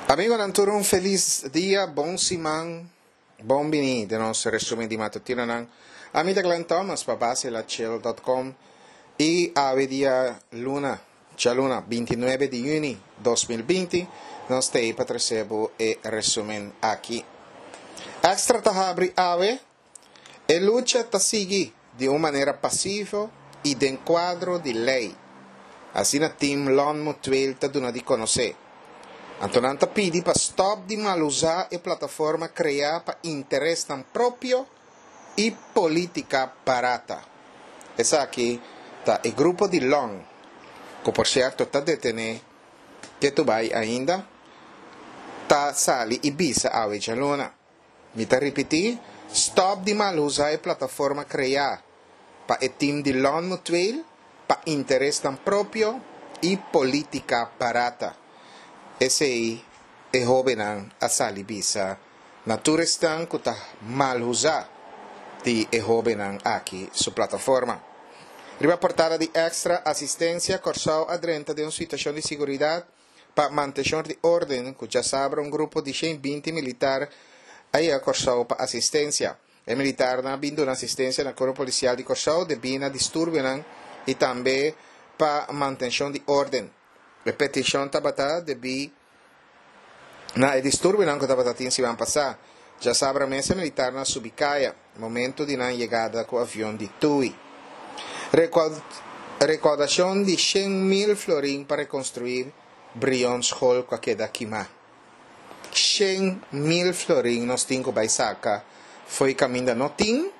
Amigonan tur un felis dia, bon siman, bon bini den nos resumen di matutinonan. Ami ta Glenn Thomas pa baselachel dot com y awe dia luna, djaluna 29 di juni 2020, nos ta ey pa trece bo e resumen aki. Extra ta habri awe E lucha ta sigui di un manera pasivo i den kuadro di lei, asina Team Lon Mutueel ta duna di konosé. Anto nan ta pidi pa stòp di malusá e plataforma kreá pa interesnan propio i polítika barata. Esaki ta e grupo di Lon, ku por sierto ta detené ketu bai ainda, ta sali i bisa awe djaluna. Mi ta ripití, stòp di malusa e plataforma kreá pa e tim di Lon Mutueel pa interesnan propio i polítika barata. Esei e hóbennan a sali bisa na tur esnan ku ta malusa di e hóbennan aki su plataforma. Riba portada di Extra, Asistensia Kòrsou a drenta den un situashon di siguridat Pa mantenshon di orden ku djasabra un grupo di 120 militar a yega Kòrsou pa asistensia. E militarnan a bin duna asistensia na Kuerpo Polisial di Kòrsou debí na disturbionan i tambe pa mantenshon di orden. E petishon tabata debí na e disturbionan ku tabata tin siman pasá. Djasabra mes e militarnan a subi kaya, momento di nan yegada ku avion di Tui. Rekoudashon di 100,000 florin pa rekonstruí Brion School ku a keda kimá. 100,000 florin nos tin ku bai saka fo'i kaminda no tin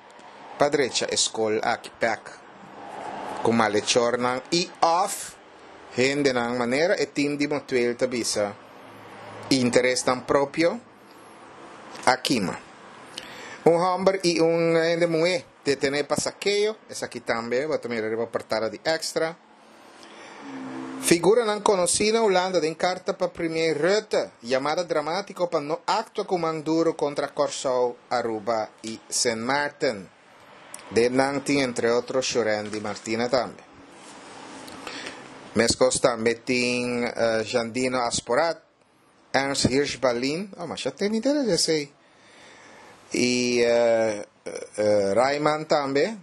pa drecha e skol aki bèk ku malechornan i òf hendenan manera e tim di Motueel ta bisa interesnan propio a kima. Un hòmber i un hende muhé detené pa sakeo, esaki tambe bo ta mira riba portada di Extra. Figuranan konosí na Hulanda den karta pa Premier Rutte, yamada dramátiko pa no aktua ku man duru kontra Kòrsou, Aruba i Sint Maarten. Den nan tin entre otro Shurendi Martina tambe. Meskos tambe tin Jandino Asporaat. Ernst Hirsch Ballin, oh masha ten idea di esei. I Rayman tambe,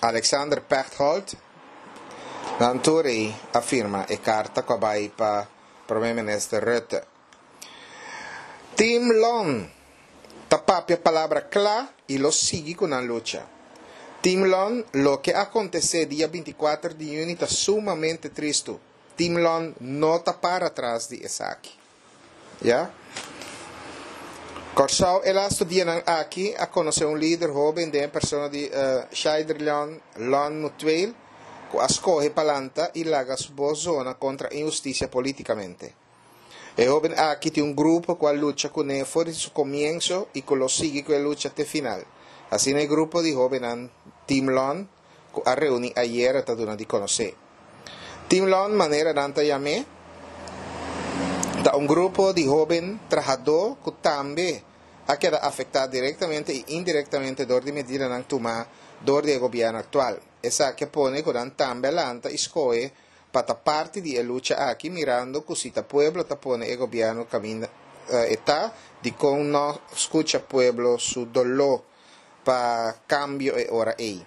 Alexander Pechtold, nan tur ei a firma e karta ku a bai pa Prome Minister Rutte. Team Lon ta papia palabra kla i lo sigui ku nan lucha. Team Lon, loke a akontesé dia 24 di yüni ta sumamente tristu. Team Lon no ta para tras di esaki. Ya. Kòrsou e lastu dianan aki a konosé un lider hóben den e persona di Shaiderleon Lon Mutueel ku a skohe pa lanta i laga su bos zona kontra inhustisia polítikamente. E hóben aki tin un grupo ku a lucha kuné for di su komienso i ku lo sigui ku e lucha te final. Asina e grupo di hóbennan Team Lon ku a reuní ayera ta duna di konosé. Team Lon, manera nan ta yam'é, ta un grupo di hóben trahadó ku tambe a keda afektá direktamente i indirektamente dor di medidanan tumá dor di e gobièrnu aktual. Esaki a pone ku nan tambe a lanta i skohe pa ta parti di e lucha aki mirando ku si ta pueblo ta pone e gobièrnu kaminda e ta, dikon no skucha pueblo su doló? pa kambio e ora ei.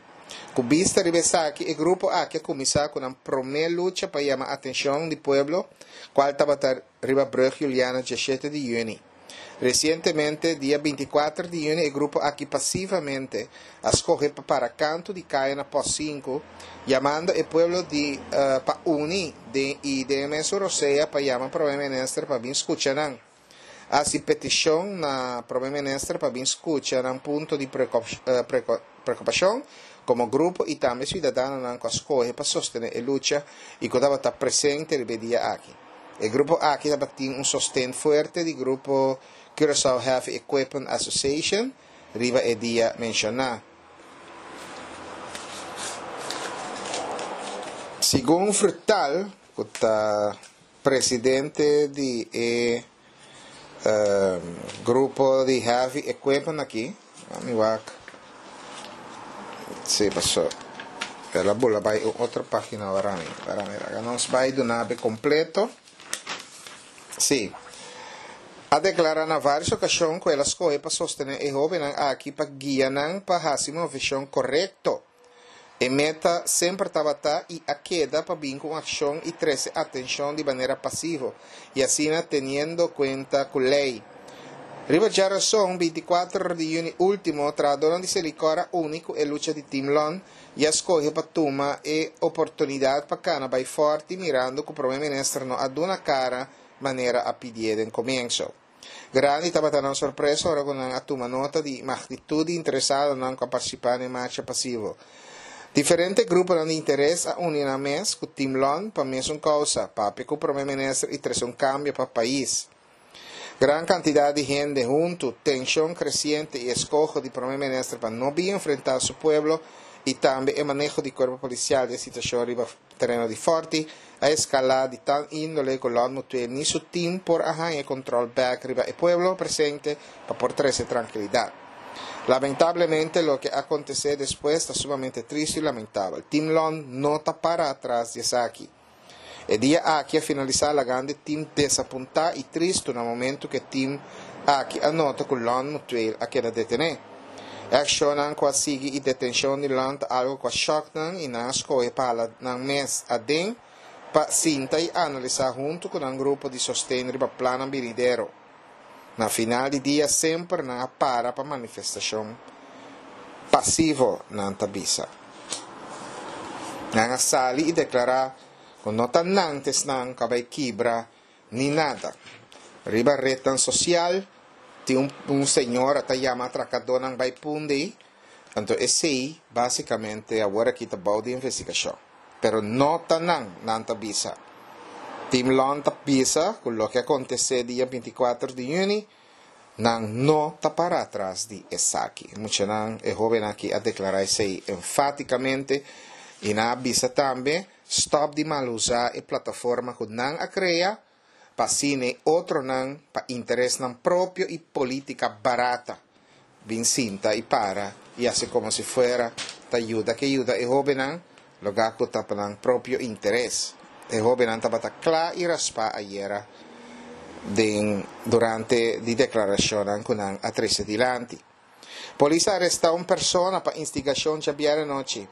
Ku bista riba esaki, e grupo aki a kuminsá ku nan promé lucha pa yama atenshon di pueblo, kual tabata riba Brug Juliana 17 di yüni. Resientemente, dia 24 di yüni e grupo aki pasivamente a skohe pa para kantu di kaya na Pòst 5, yamando e pueblo di pa uni den i den e mesun rosea pa yama Prome Minister pa bin skucha nan. Hasi petishon na Prome Minister pa bin skucha nan punto di preokupashon komo grupo i tambe siudadanonan ku a skohe pa sostené e lucha i ku tabata presente riba e dia aki. E grupo aki tabatin un sosten fuerte di grupo Curaçao Heavy Equipment Association riba e dia menshoná. Segun Frutal, ku ta Presidente di e grupo di heavy equipment aki, mi wak si paso el a bula bai un otro pagina ora mi, ora mi laga nos bai duna be completo. Si. A deklará na vários okashon ku el a skohe pa sostené e hóbennan aki pa guia nan pa hasi moveshon korekto. E meta semper tabata i a keda pa bin ku un akshon i trese atenshon di manera pasivo i asina teniendo kuenta ku lei. Riba djarason, 24 di yüni último, trahadónan di Selikor a uni ku e lucha di Team Lon i a skohe pa tuma e oportunidat pa kana bai fòrti mirando ku Prome Minister no a duna kara manera a pidié den komienso. Grandi tabata nan sorpresa ora ku nan a tuma nota di magnitut di interesadonan ku a partisipá na e marcha pasivo. Diferente gruponan di interes a uni nan mes ku Team Lon pa mesun kousa, papia ku Prome Minister i trese un kambio pa pais. Gran kantidat di hende huntu, tenshon kresiente i eskoho di Prome Minister pa no bin enfrentá su pueblo i tambe e maneho di kuerpo polisial di e situashon riba Tereno di Forti a eskalá di tal índole ku Lon Mutué ni su tim por a haña e kontrol bèk riba e pueblo presente pa por trese trankilidat. Lamentablemente loke a kontesé despues ta sumamente tristu i lamentabel. Team Lon no ta para atras di esaki. E dia aki a finalisá lagando e tim desapuntá i tristu na momentu ku e tim aki a nota ku Lon Mutueel a keda detené. E akshonnan ku a sigui i detenshon di Lon ta algu ku a shòk nan i nan a skohe pa hala nan mes aden pa sinta i analisá huntu ku nan grupo di sosten riba plannan binidero. Na final di dia semper nan a para pa manifestashon pasivo, nan ta bisa. Nan a sali i deklará ku no ta nan ta esnan ku a bai kibra Ni nada. Riba retnan sosial tin un un señora ta yama atrakadonan bai punda ei, anto esei basikamente awor aki ta bou di investigashon. Pero no ta nan, nan ta bisa. Team Lon ta bisa ku loke a kontesé dia 24 di yüni, nan no ta para atras di esaki. E muchanan, e hóbennan aki a deklará esei enfátikamente i nan a bisa tambe Stop di malusa e plataforma ku nan a krea pa asina e otronan pa interesnan propio i politika barata bin sinta i para i hasi komo si fuera ta yuda ke yuda e hobennan loga ku ta pa nan propio interes. E hobennan tabata kla i raspá ayera den durante di deklarashonnan ku nan a trese dilanti. Polis a arestá un persona pa instigashon djabièrnè anochi.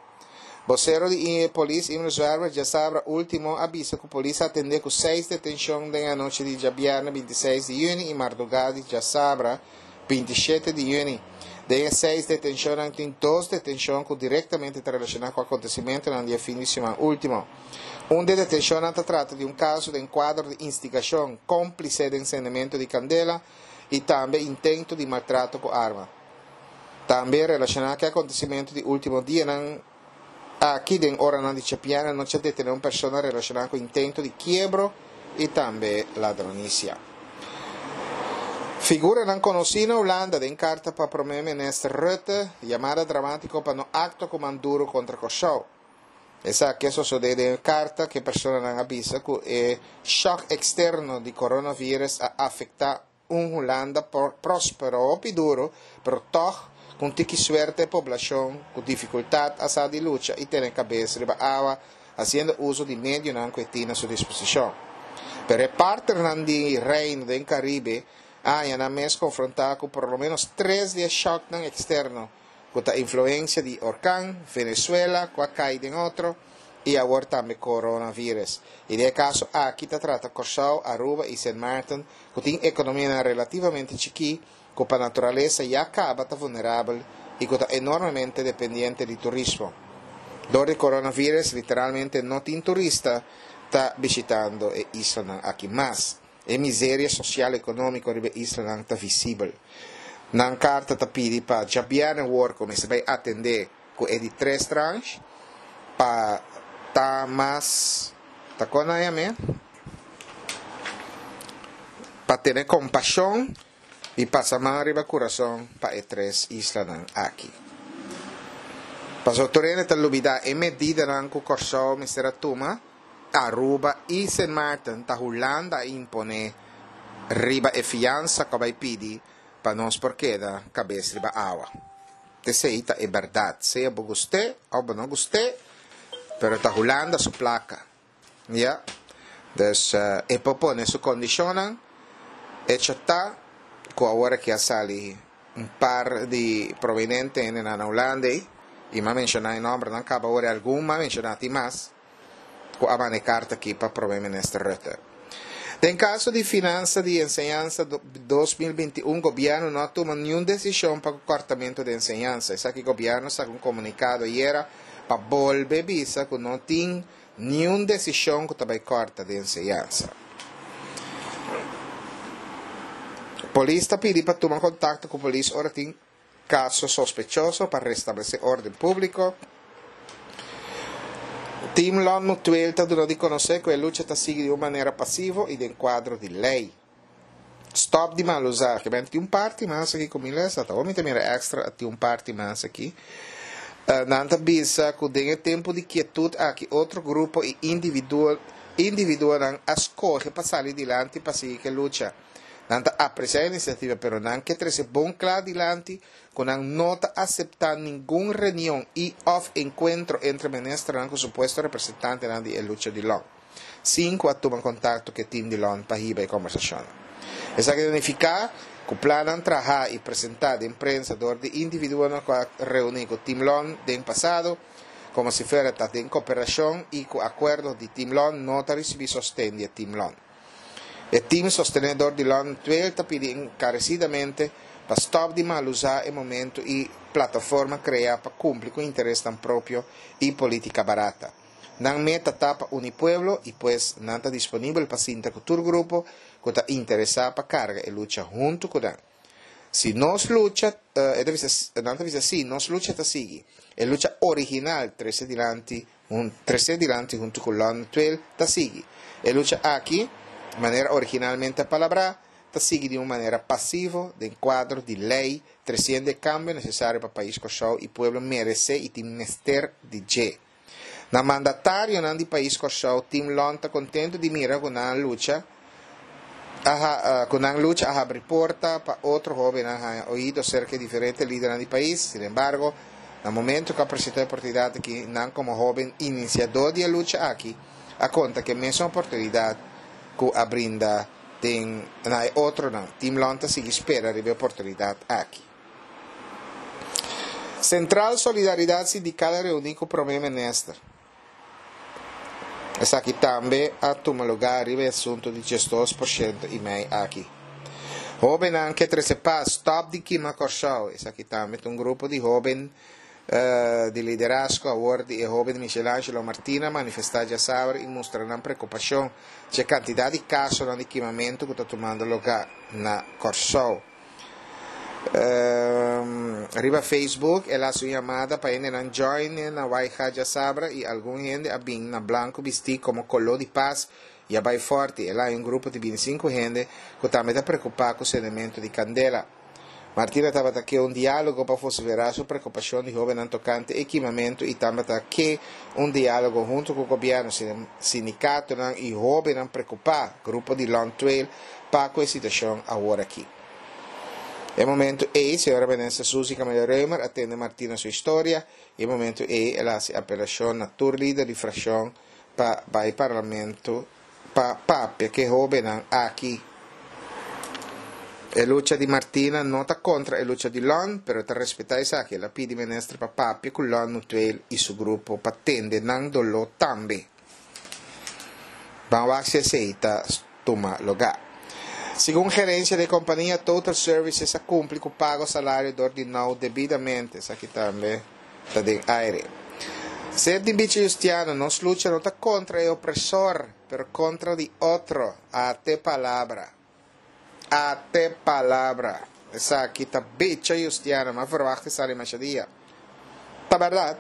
Bosero di polis Imre Zwerver djasabra último a bisa ku polis a atendé ku seis detenshon den e anochi di djabièrnè 26 di yüni i mardugá di djasabra 27 di yüni. Den e seis detenshonnan tin dos detenshon ku direktamente ta relashoná ku akontesimentunan di e fin di siman último. Un di e detenshonnan ta trata di un kaso den kuadro di instigashon, kómplise den sendementu di kandela, i tambe intento di maltrato ku arma. Tambe relashoná ku e akontesimentu di último dianan aki den oranan di chapiana nochi a detené un persona relashoná ku intento di kiebro i tambe ladronisia. Figuranan konosí na Hulanda den karta pa Prome Minister Rutte, yamada dramátiko pa no aktua ku man duru kontra Kòrsou. Esaki a sosodé den e karta ku e personanan a bisa ku e shòk eksterno di coronavirus a afektá un Hulanda próspero hopi duru, pero tòg ku un tiki suerte e poblashon ku difikultat a sa di lucha i tene kabes riba awa hasiendo uso di medionan ku e tin na su disposishon. Pero e partnernan di Reino den Karibe a haña nan mes konfrontá ku por lo ménos tres di e shòknan eksterno ku ta influensia di orkan, Venezuela ku a kai den otro i awor tambe coronavirus. I den e kaso aki ta trata Kòrsou, Aruba i Sint Maarten ku tin ekonomianan relativamente chikí ku pa naturalesa ya kaba ta vulnerabel i ku ta enormemente dependiente di turismo. Dor di coronavirus literalmente no tin turista ta bishitando e islanan aki mas. E miseria sosial ekonómiko riba e islanan ta visibel. Nan karta ta pidi pa djabièrnè wor ku mester bai atendé ku e di tres tranche pa ta mas ta kon nan yam'é? Pa tene kompashon i pasa man riba kurason pa e tres islanan aki. Pasobra tur hende ta lubidá e medidanan ku Kòrsou mester a tuma. Aruba i Sint Maarten ta Hulanda a imponé riba e fiansa ku a bai pidi pa nos por keda kabes riba awa. Esei ta e bèrdat, sea bo gust'é òf bo no gust'é, pero ta Hulanda su plaka. Ya. Dus e por pone su kondishonnan. Echo ta ku awor aki a sali un par di prominente hendenan na Hulanda ei, i m'a menshoná e nòmbernan kaba awor i algun m'a menshoná tin mas ku a manda e karta aki pa Prome Minister Rutte. Den kaso di finansa di enseñansa 2021 gobièrnu no a tuma niun desishon pa ku kòrtamentu di enseñansa. Esaki gobièrnu saka un komunikado ayera pa bolbe bisa ku no tin Niun desishon ku ta bai kòrta den enseñansa. Polis ta pidi pa tuma kontakto ku polis ora tin kaso sospechoso pa restablesé órden públiko. Team Lon Mutueel ta duna di konosé ku e lucha ta sigui di un manera pasivo i den kuadro di lei. Stop di mal usa. Ke men tin un parti mas aki ku mi lesa. Ta mi ta mira extra tin un parti mas aki. Nan ta bisa ku den e tempu di kietut aki otro grupo i individuo individuonan a skohe pa sali dilanti pa sigui ke lucha. Nan ta apresiá e inisiativa pero nan ke trese bon kla dilanti ku nan no ta aseptá ningun reunion i òf enkuentro entre ministernan ku supuesto representantenan di e lucha di lòn. sin ku a tuma kontakto ku e tim di lòn pa hiba e kombersashonnan. Esaki ta nifiká ku plannan trahá i presentá den prensa dor di individuonan ku a reuní ku Tim Lòn den pasado, komo si fuera ta den koperashon i ku akuerdo di Tim Lòn no ta risibí sosten di e Tim Lòn. E tim sostené dor di Lòn Tweel ta pidi enkaresidamente pa stòp di malusá e momentu i plataforma kreá pa kumpli ku interesnan propio i polítika barata. Nan meta ta pa uni pueblo y pues nan ta disponibel pa sinta cu tur grupo cu ta interesa pa carga e lucha hunto cu nan. Si nos lucha, e ta bisa, nan ta bisa si, nos lucha ta sigui. E lucha original trece dilanti trece dilanti hunto cu London Tweel ta sigui. E lucha aki, manera originalmente a palabrá, ta sigui di un manera pasivo den cuadro di ley treciendo e cambio necesario pa pais Corsou y pueblo merece y tin mester di dje. Na mandatarionan di pais Kòrsou, Team Lon ta kontentu di mira ku nan lucha a ku nan lucha a habri porta pa otro hóbennan haña oido serka e diferente lidernan di pais. Sin embargo, na momento ku a presentá e oportunidat aki, nan komo hóben inisiadó di e lucha aki a konta ku e mesun oportunidat ku a brinda den na e otronan. Team Lon ta sigui spera riba e oportunidat aki. Central Solidaridad Sindical a reuni cu Prome Minister. Esaki tambe a tuma lugar riba e asunto di 12% y mei aki. Hobennan ke trece paz, stop di kima Corsou. Esaki tambe ta un grupo di hoben di liderazgo awor di e hoben Michelangelo Martina manifesta djasabra y mustra nan preocupacion dje cantidad di casonan di kimamento cu ta tumando lugar na Corsou. Riba Facebook el a haci un yamada pa hendenan join e na Waija djasabra y algun hende a bin na blanco bisti como colo di paz y a bay forti. El a hay un grupo di binticinco hende cu tambe ta preocupa cu cendemento di candela. Martina tabata ke un dialogo pa vocifera su preocupacion di hobennan tocante e kimamento y tambata ke un dialogo hunto cu gobierno, sindicatonan y hobennan preocupa, grupo di Long Trail, pa cu e situacion awor aki. E momento ey, señora Minister Suzy Camelia Römer a tende Martina su historia y e momento ey el a haci apelacion na tur lider di fraccion pa bay Parlamento pa papia cu e hobennan aki. E lucha di Martina no ta contra e lucha di Lon, pero e ta respeta esaki. El a pidi Minister pa papia cu Lon Mutueel y su grupo pa tende nan dolor tambe. Ban wak si esey ta tuma lugá. Segun gerencia di e compania, Total Services a cumpli cu pago salario dor di now debidamente. Esaki tambe ta den aire. Ser di Bichi Justiano, nos lucha no ta contra e opresor, pero contra di otro. Ate palabra. Ate palabra. Esaki ta Bicha Justiano, m'a verwacht e sali masha dia. Ta berdad,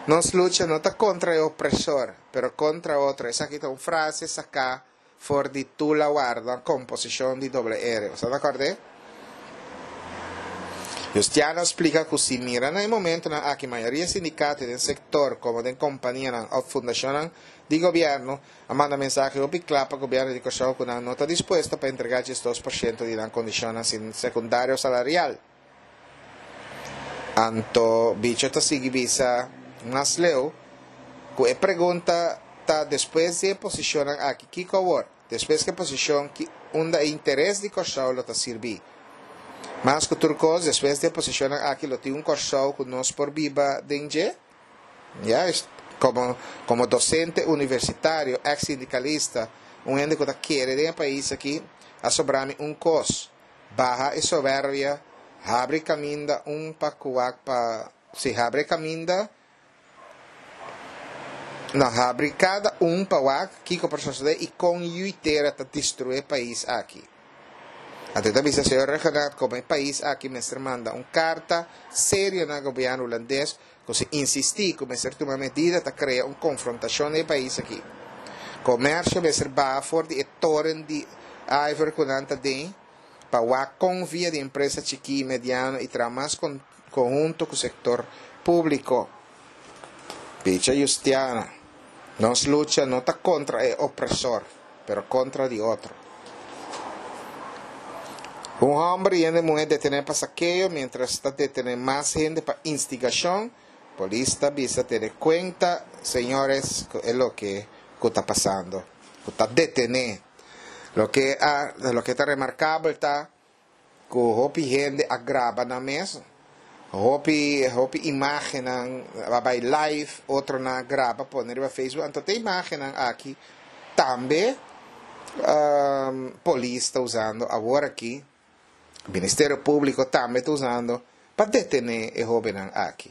nos lucha no ta contra e opresor, pero contra otro. Esaki ta un frase sacá for di Tula Warda, composicion di Doble R. Boso ta acord'é? Justiano a splica cu si mira na e momentonan aki mayoria sindicato den sector como den companianan of fundacionnan di gobierno a manda mensahe hopi cla pa gobierno di Corsou cu nan no ta dispuesto pa entrega 12% di nan condicionnan secundario salarial. Anto Bicho ta sigui bisa mas leu ku e pregunta ta despues di e posishonnan aki kiko awor? Despues ku e posishon ki unda e interes di Kòrsou lo ta sirbí. Mas ku tur kos, despues di e posishonnan aki lo tin un Kòrsou ku nos por biba den dje? Ya, komo komo dosente universitario, eks sindikalista, un hende ku ta kere den e pais aki, a sobra mi un kos, baha e soberbia, habri kaminda un pa ku wak pa, si habri e kaminda, No habri kada un pa wak kiko por sosodé i kon yui tera ta destruí e pais aki. Anto e ta bisa señor Rhuggenaath komo e pais aki mester manda un karta serio na gobièrnu hulandes ku si insistí ku mester tuma medida ta krea un konfrontashon den e pais aki. Komersio mester baha for di e toren di ivory ku nan ta den pa wak kon via di empresa chikí i mediano i traha mas konhunto ku sektor públiko. Bicha Justiana, Nos lucha no ta kontra e opresor, pero kontra di otro. Un hòmber i hende muhé detené pa sakeo miéntras ta detené mas hende pa instigashon, polis ta bisa tene kuenta, señores, ku e loke ku ta pasando, ku ta detené. Loke a loke ta remarkabel ta ku hopi hende a graba nan mes, hopi hopi imágennan a bai live, otronan a graba pone riba Facebook, anto te imágennan aki tambe polis ta usando awor aki, Ministerio Públiko tambe ta usando pa detené e hóbennan aki.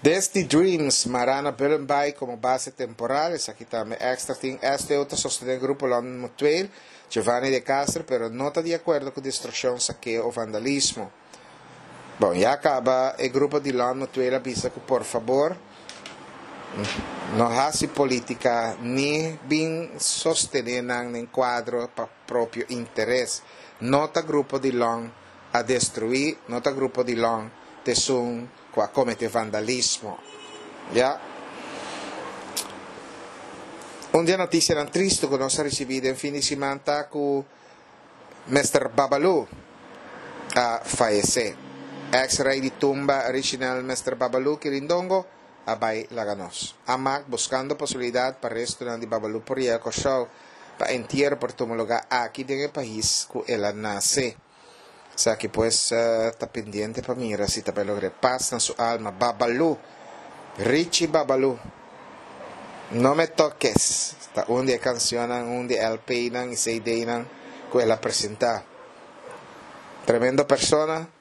Desdi Dreams, Marana Bullenbaai komo base temporal, esaki tambe extra tin STO ta sostené grupo London Mutueel, Giovanni de Castro, pero no ta di akuerdo ku destrukshon, sakeo o vandalismo. Bon, ya kaba e grupo di London Mutueel a bisa ku por fabor no hasi politika ni bin sostené nan den kuadro pa propio interes. No ta grupo di Lon a destruí, no ta grupo di Lon t'esun ku a kometé vandalismo. Ya. Un di e notisianan tristu ku nos a risibí den fin di siman ta ku Mister Babaloo a fayesé. Eks rei di tumba Richinel Mister Babaloo Kirindongo a bai laga nos. Amak buskando posibilidat pa restonan di Babaloo por yega Kòrsou pa entiero por tuma lugá aki den e pais ku el a nase. Esaki pues ta pendiente pa mira si ta bai logra e pas na su alma. Babaloo! Richie Babaloo! No me toques ta un di e cancionnan, un di e LPnan y CDnan cu el a presenta. Tremendo persona,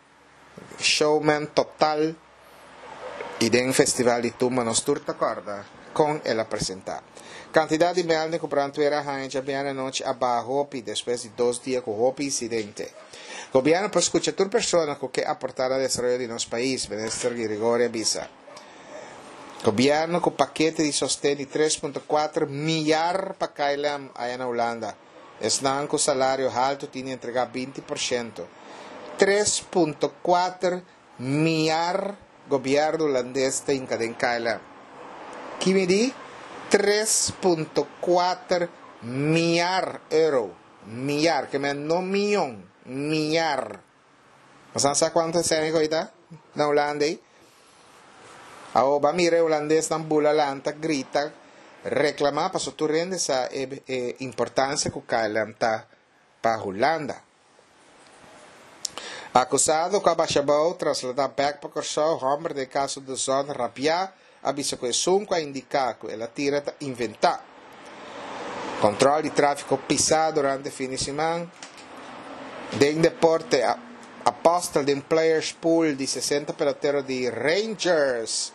showman total y den Festival di Tumba nos tur ta corda con el a presenta. Cantidad di melding cu brandweer a haña djabièrnè anochi a baha hopi despues di dos dia cu hopi incidente. Gobierno por scucha tur persona cu ke aporta na desaroyo di nos pais, Minister Girigorie a bisa. Gobierno cu pakete di sosten di tres punto kuater miyar pa KLM aya na Hulanda. Esnan cu salario halto tin di entrega 20%. 3.4 miyar gobierno Hulandes ta hinca den KLM. Ki mi di? 3.4 miyar euro. Miyar, ke men no miyon, miyar. Bosan sa cuanto esei cu ta na Hulanda ei? Awor ba mira e hulandesnan bula lanta, grita, reclama pasobra tur hende sa e e importancia cu KLM ta pa Hulanda. Acusado cu a basha abou traslada bek pa Corsou, homber den caso De Zon rabia a bisa cu esun cu a indica cu el a tira ta inventa. Control di trafico pisa durante fin di siman. Den deporte, Apostel den players pool di 60 pelotero di Rangers.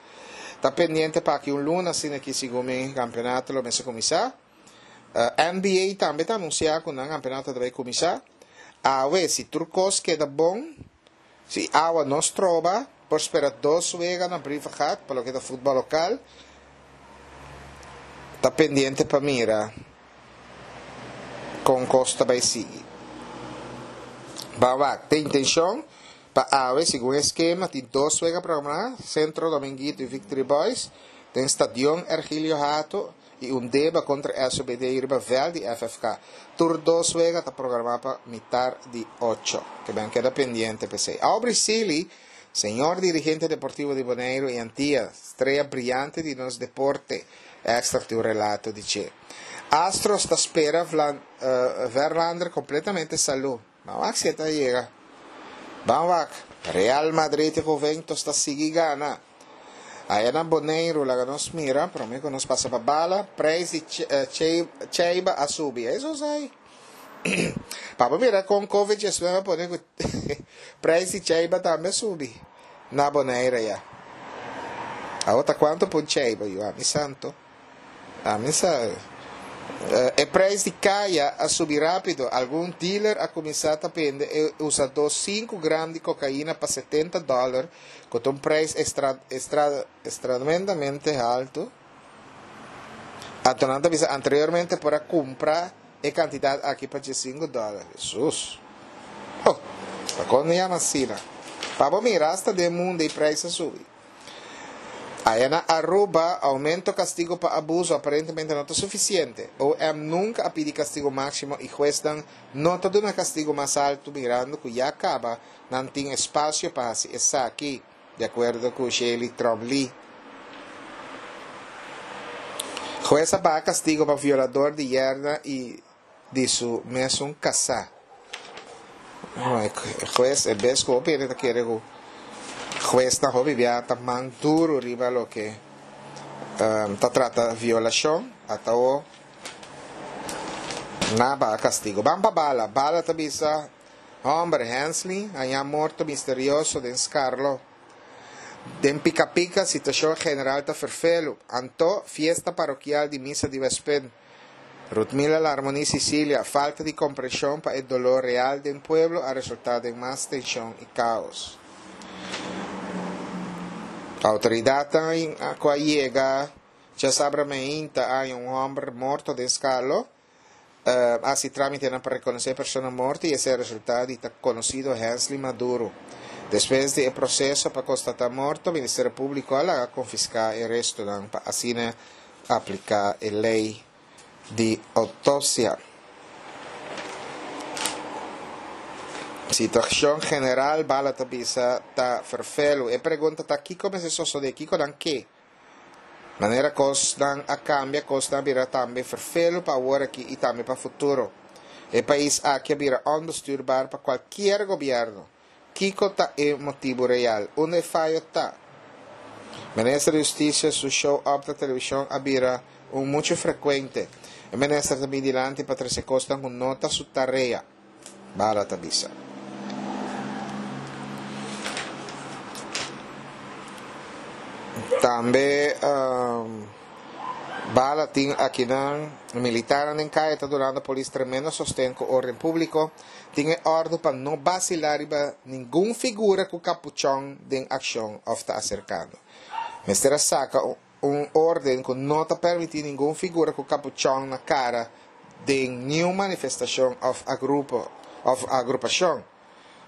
Ta pendiente pa aki un luna asina ki segun mi campeonato lo mester cuminsa. NBA tambe ta anuncia cu nan campeonato ta bay cuminsa. Awe si tur cos keda bon, Si awa no stroba, por spera dos wega na Brievengat pa loke ta futbòl lokal. Ta pendiente pa mira kon kos ta bai sigui. Ban wak, te intenshon pa awe segun e skema tin dos wega programá, Centro Dominguito i Victory Boys den Stadion Ergilio Hato i un deba kontra SOBD riba vèlt di FFK. Tur dos wega ta programá pa mitar di ocho. Ke ben keda pendiente p'esei. Aubrey Sealy, señor dirigente deportivo di Boneiru i Antia, strea briante di nos deporte. Extra tin un relato di dje. Astros ta spera Verlander completamente salú. Ban wak si e ta yega. Ban wak. Real Madrid y Juventus ta sigui gana. Aya na Boneiru laga nos mira, prome ku nos pasa pa bala, prijs di cheiba a subi. Eso sai. Pa bo mira kon Covid 19 a pone ku prijs di cheiba tambe a subi na Bonaire ya. Awor ta kuantu pa un cheiba yu? Ami santo. Ami sa. E prijs di kaya a subi rápido. Algun dealer a kuminsá ta bende e usadó sinku gram di kokaina pa 70 dòler, ku ta un prijs extra, extra, extremadamente haltu. Anto nan ta bisa anteriormente por a kumpra e kantidat aki pa diesinku dòler. Hesus! Oh! Pakon no yama asina? Pa bo mira asta den mundu e prijs a subi. Aya na Aruba, aumento kastigo pa abuso aparentemente no ta sufisiente. OM nunka a pidi kastigo máksimo i huesnan no ta duna kastigo mas altu mirando ku ya kaba nan tin espasio pa hasi esaki. Di akuerdo ku Shely Tromp-Lee. Hues a baha kastigo pa violador di yerna i di su mesun kasá. Hues e bes ku hopi hende ta kere ku huesnan hopi bia ta man duru riba loke ta trata violashon, ata awo nan a baha kastigo. Ban pa bala. Bala ta bisa. Homber Hensley hañá morto misterioso den Skarlo. Den Pika Pika situashon general ta ferfelu. Anto, fiesta parokial di misa di Westpunt. Rutmila Larmonie Cicilia, Falta di komprenshon pa e doló real den pueblo a resultá den mas tenshon i kaos. Outoridatnan ku a yega djasabra meinta a haña un hòmber morto den Skarlo. Hasi trámitenan pa rekonosé e persona morto i esei a resultá di ta konosido Hensley Maduro. Despues di e proseso pa konstatá morto, Ministerio Públiko a laga konfiská e restonan pa asina apliká e lei di outopsia. Situashon general, Bala ta bisa, ta ferfelu. E pregunta ta kiko mester sosodé, kiko nan ke? Manera kosnan a kambia, kosnan a bira tambe ferfelu pa awor aki i tambe pa futuro. E pais aki a bira onbestuurbaar pa kualkier gobièrnu. Kiko ta e motibu real? Unda e fayo ta? Minister di Hustisia su show up na televishon a bira un muchu frekuente. E minister ta bin dilanti pa trese kosnan ku no ta su tarea. Bala ta bisa. Tambe Bala tin akinan militarnan den kaya ta dunando polis tremendo sosten ku orden públiko. Tin e òrdu pa no basilá riba ningun figura ku kapuchòn den akshon òf ta aserkando. Mester a saka un orden ku no ta permití ningun figura ku kapuchòn na kara den niun manifestashon òf agrupo òf agrupashon.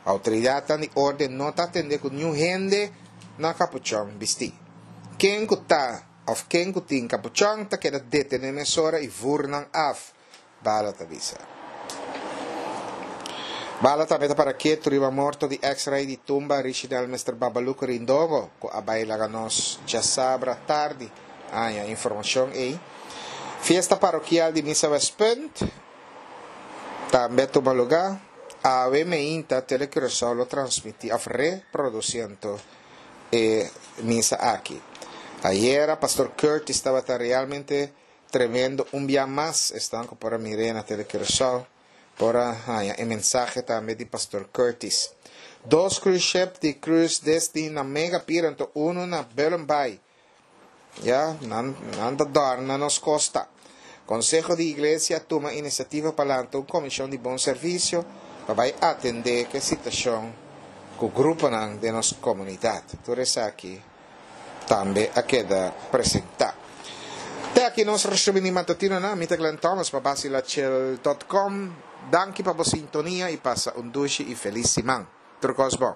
Outoridatnan di orden no ta atendé ku niun hende na kapuchòn bistí. Ken ku ta òf ken ku tin kapuchòn ta keda detené mesora i vur nan af. Bala ta bisa. Bala tambe ta para ketu riba morto di ex rey di tumba Richinel Mister Babaluco Rindogo cu a bay laga nos djasabra tardi aña informacion ey. Fiesta parokial di Misa Westpunt tambe a tuma luga. Awe meinta Tele Curaçao lo transmiti of reproduciento e misa aki. Ayera Pastor Curtis tabata realmente Tremendo un bia mas esnan ku por a mir'é na Tele Curaçao por a haña e mensahe tambe di Pastor Curtis. Dos cruise ship di Cruise Disney na Mega Pier anto unu na Bullenbaai. Ya, nan nan ta dòrna nos kosta. Konseho di Iglesia a tuma inisiativa pa lanta un komishon di bon servisio pa bai atendé ku e situashon ku gruponan den nos komunidat. Tur esaki. tambe a keda presentá. Te aki nos resumen di matutinonan. Mi ta Glenn Thomas pa Basilachel dot com. Danki pa bo sintonia i pasa un dushi i felis siman. Tur kos bon.